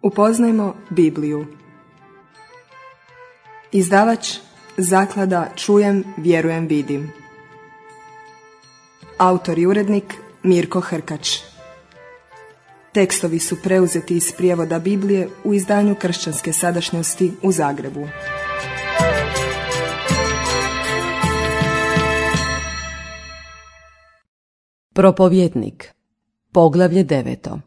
Upoznajmo Bibliju. Izdavač Zaklada Čujem, vjerujem, vidim. Autor i urednik Mirko Hrkač. Tekstovi su preuzeti iz prijevoda Biblije u izdanju Kršćanske sadašnjosti u Zagrebu. Propovjednik, poglavlje 9.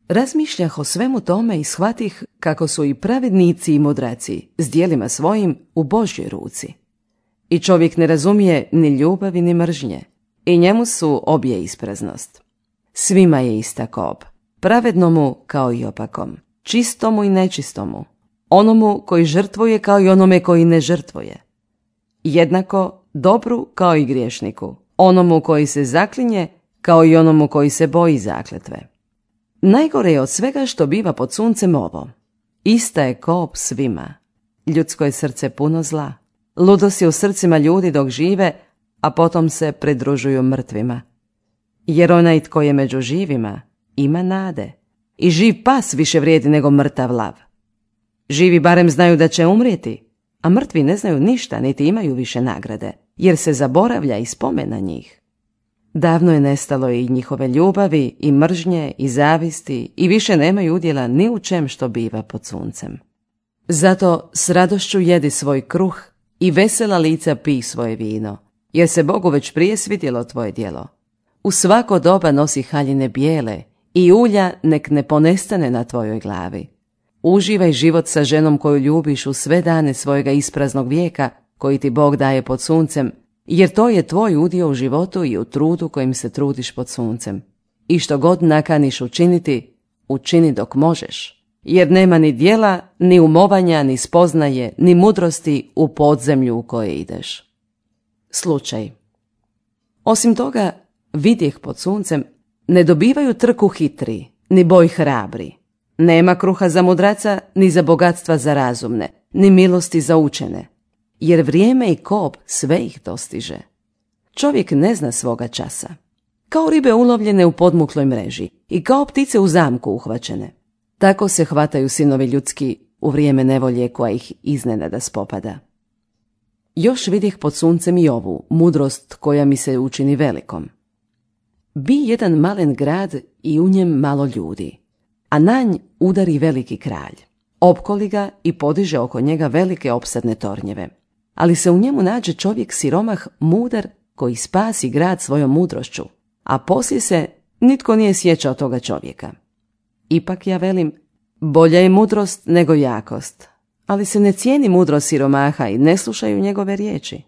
Razmišljah o svemu tome i shvatih kako su i pravednici i mudraci s djelima svojim u Božjoj ruci. I čovjek ne razumije ni ljubavi ni mržnje, i njemu su obje ispraznost. Svima je ista kob, pravednomu kao i opakom, čistomu i nečistomu, onomu koji žrtvuje kao i onome koji ne žrtvuje. Jednako dobru kao i griješniku, onomu koji se zaklinje kao i onomu koji se boji zakletve. Najgore je od svega što biva pod suncem ovo. Ista je kob svima. Ljudsko je srce puno zla. Ludost je u srcima ljudi dok žive, a potom se pridružuju mrtvima. Jer onaj tko je među živima ima nade. I živ pas više vrijedi nego mrtav lav. Živi barem znaju da će umrijeti, a mrtvi ne znaju ništa niti imaju više nagrade, jer se zaboravlja i spomen na njih. Davno je nestalo i njihove ljubavi, i mržnje, i zavisti, i više nemaju udjela ni u čem što biva pod suncem. Zato s radošću jedi svoj kruh i vesela lica pij svoje vino, jer se Bogu već prije svidjelo tvoje djelo. U svako doba nosi haljine bijele i ulja nek ne ponestane na tvojoj glavi. Uživaj život sa ženom koju ljubiš u sve dane svojega ispraznog vijeka koji ti Bog daje pod suncem, jer to je tvoj udio u životu i u trudu kojim se trudiš pod suncem. I što god nakaniš učiniti, učini dok možeš, jer nema ni djela, ni umovanja, ni spoznaje, ni mudrosti u podzemlju u koje ideš. Slučaj. Osim toga, vidjeh pod suncem, ne dobivaju trku hitri, ni boj hrabri. Nema kruha za mudraca, ni za bogatstva za razumne, ni milosti za učene. Jer vrijeme i kob sve ih dostiže. Čovjek ne zna svoga časa. Kao ribe ulovljene u podmukloj mreži i kao ptice u zamku uhvaćene. Tako se hvataju sinovi ljudski u vrijeme nevolje koja ih iznenada spopada. Još vidjeh pod suncem i ovu mudrost koja mi se učini velikom. Bi jedan malen grad i u njem malo ljudi, a na nj udari veliki kralj. Opkoli ga i podiže oko njega velike opsadne tornjeve. Ali se u njemu nađe čovjek siromah mudar koji spasi grad svojom mudrošću, a poslije se nitko nije sjećao toga čovjeka. Ipak ja velim, bolja je mudrost nego jakost, ali se ne cijeni mudrost siromaha i ne slušaju njegove riječi.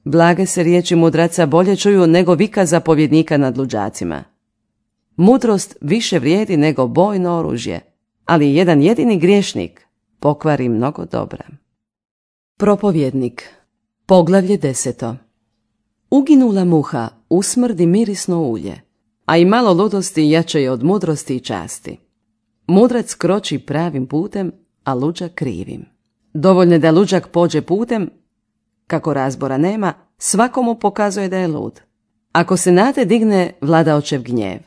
Blage se riječi mudraca bolje čuju nego vika zapovjednika nad luđacima. Mudrost više vrijedi nego bojno oružje, ali jedan jedini griješnik pokvari mnogo dobra. Propovjednik, poglavlje 10. Uginula muha usmrdi mirisno ulje, a i malo ludosti jače je od mudrosti i časti. Mudrac kroči pravim putem, a luđak krivim. Dovoljno je da luđak pođe putem, kako razbora nema, svakomu pokazuje da je lud. Ako se na te digne vladaočev gnjev,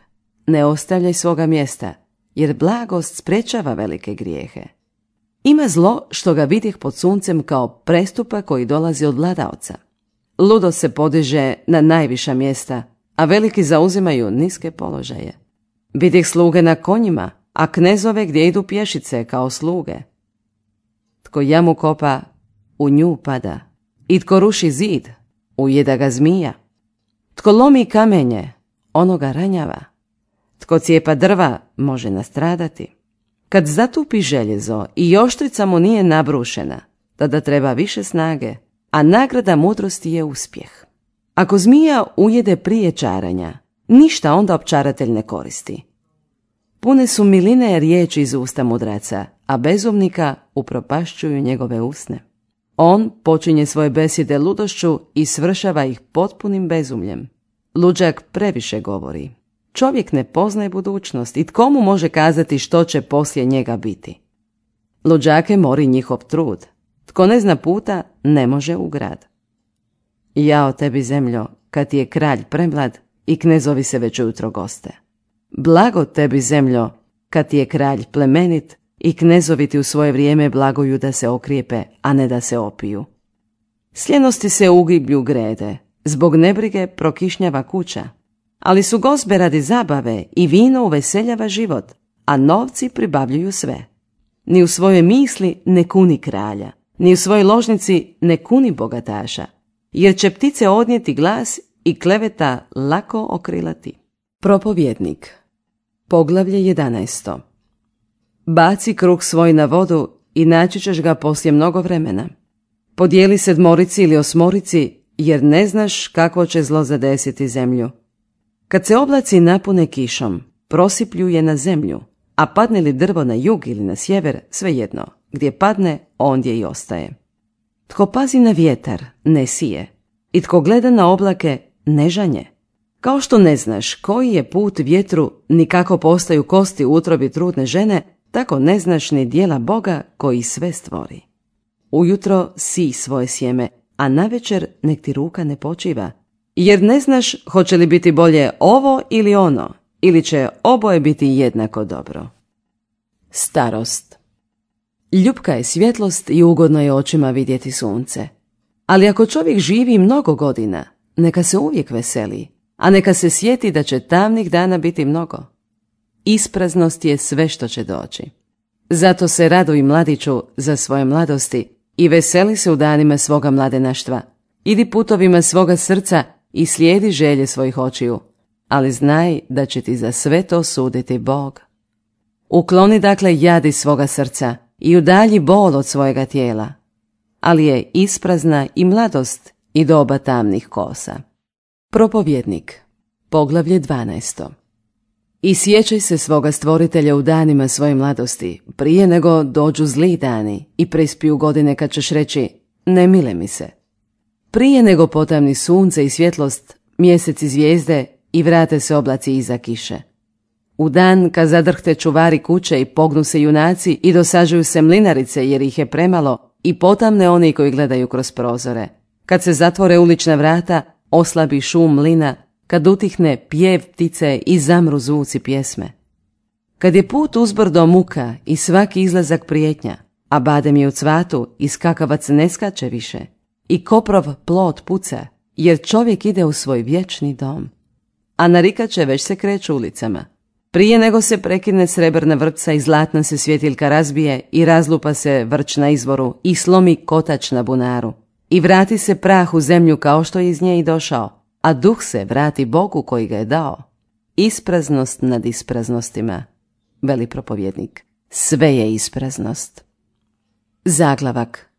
ne ostavljaj svoga mjesta, jer blagost sprečava velike grijehe. Ima zlo što ga vidih pod suncem kao prestupa koji dolazi od vladaoca. Ludo se podiže na najviša mjesta, a veliki zauzimaju niske položaje. Vidih sluge na konjima, a knezove gdje idu pješice kao sluge. Tko jamu kopa, u nju pada, i tko ruši zid, ujeda ga zmija. Tko lomi kamenje, ono ga ranjava. Tko cijepa drva, može nastradati. Kad zatupi željezo i oštrica mu nije nabrušena, tada treba više snage, a nagrada mudrosti je uspjeh. Ako zmija ujede prije čaranja, ništa onda opčaratelj ne koristi. Pune su miline riječi iz usta mudraca, a bezumnika upropašćuju njegove usne. On počinje svoje besjede ludošću i svršava ih potpunim bezumljem. Luđak previše govori. Čovjek ne poznaje budućnost i tko mu može kazati što će poslije njega biti. Luđake mori njihov trud. Tko ne zna puta, ne može u grad. Jao tebi zemljo, kad ti je kralj premlad i knezovi se već ujutro goste. Blago tebi zemljo, kad ti je kralj plemenit i knezovi ti u svoje vrijeme blaguju da se okrijepe, a ne da se opiju. Sljenosti se ugiblju grede, zbog nebrige prokišnjava kuća, ali su gozbe radi zabave i vino uveseljava život, a novci pribavljuju sve. Ni u svojoj misli ne kuni kralja, ni u svojoj ložnici ne kuni bogataša, jer će ptice odnijeti glas i kleveta lako okrilati. Propovjednik. Poglavlje 11. Baci kruh svoj na vodu i naći ćeš ga poslije mnogo vremena. Podijeli 7 ili 8, jer ne znaš kakvo će zlo zadesiti zemlju. Kad se oblaci napune kišom, prosiplju je na zemlju, a padne li drvo na jug ili na sjever, svejedno, gdje padne, ondje i ostaje. Tko pazi na vjetar, ne sije, i tko gleda na oblake, ne žanje. Kao što ne znaš koji je put vjetru, ni kako postaju kosti u utrobi trudne žene, tako ne znaš ni djela Boga koji sve stvori. Ujutro sij svoje sjeme, a navečer nek ti ruka ne počiva, jer ne znaš hoće li biti bolje ovo ili ono, ili će oboje biti jednako dobro. Starost. Ljupka je svjetlost i ugodno je očima vidjeti sunce. Ali ako čovjek živi mnogo godina, neka se uvijek veseli, a neka se sjeti da će tamnih dana biti mnogo. Ispraznost je sve što će doći. Zato se raduj, mladiću, za svoje mladosti i veseli se u danima svoga mladenaštva. Idi putovima svoga srca i slijedi želje svojih očiju, ali znaj da će ti za sve to suditi Bog. Ukloni dakle jad iz svoga srca i udalji bol od svojega tijela, ali je isprazna i mladost i doba tamnih kosa. Propovjednik. Poglavlje 12. I sjećaj se svoga stvoritelja u danima svoje mladosti, prije nego dođu zli dani i prispiju godine kad ćeš reći, ne mile mi se. Prije nego potamni sunce i svjetlost, mjesec i zvijezde i vrate se oblaci iza kiše. U dan kad zadrhte čuvari kuće i pognu se junaci i dosađuju se mlinarice jer ih je premalo i potamne oni koji gledaju kroz prozore. Kad se zatvore ulična vrata, oslabi šum mlina, kad utihne pjev ptice i zamru zvuci pjesme. Kad je put uzbrdo muka i svaki izlazak prijetnja, a badem je u cvatu i skakavac ne skače više, i koprov plot puca, jer čovjek ide u svoj vječni dom. A narikače već se kreću ulicama. Prije nego se prekine srebrna vrpca i zlatna se svjetiljka razbije i razlupa se vrč na izvoru i slomi kotač na bunaru. I vrati se prah u zemlju kao što je iz nje i došao, a duh se vrati Bogu koji ga je dao. Ispraznost nad ispraznostima, veli propovjednik. Sve je ispraznost. Zaglavak.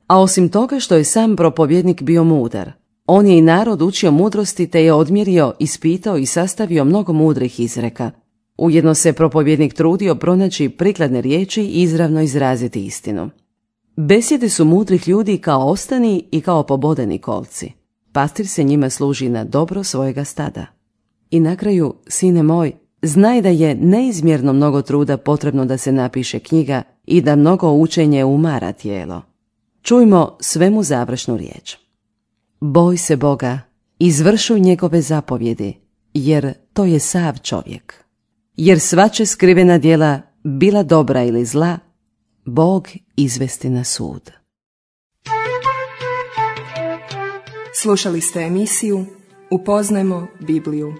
A osim toga što je sam propovjednik bio mudar, on je i narod učio mudrosti te je odmjerio, ispitao i sastavio mnogo mudrih izreka. Ujedno se propovjednik trudio pronaći prikladne riječi i izravno izraziti istinu. Besjede su mudrih ljudi kao ostani i kao pobodeni kolci. Pastir se njima služi na dobro svojega stada. I na kraju, sine moj, znaj da je neizmjerno mnogo truda potrebno da se napiše knjiga i da mnogo učenje umara tijelo. Čujmo svemu završnu riječ. Boj se Boga, izvršuj njegove zapovjedi, jer to je sav čovjek. Jer svače skrivena djela, bila dobra ili zla, Bog izvesti na sud. Slušali ste emisiju Upoznajmo Bibliju.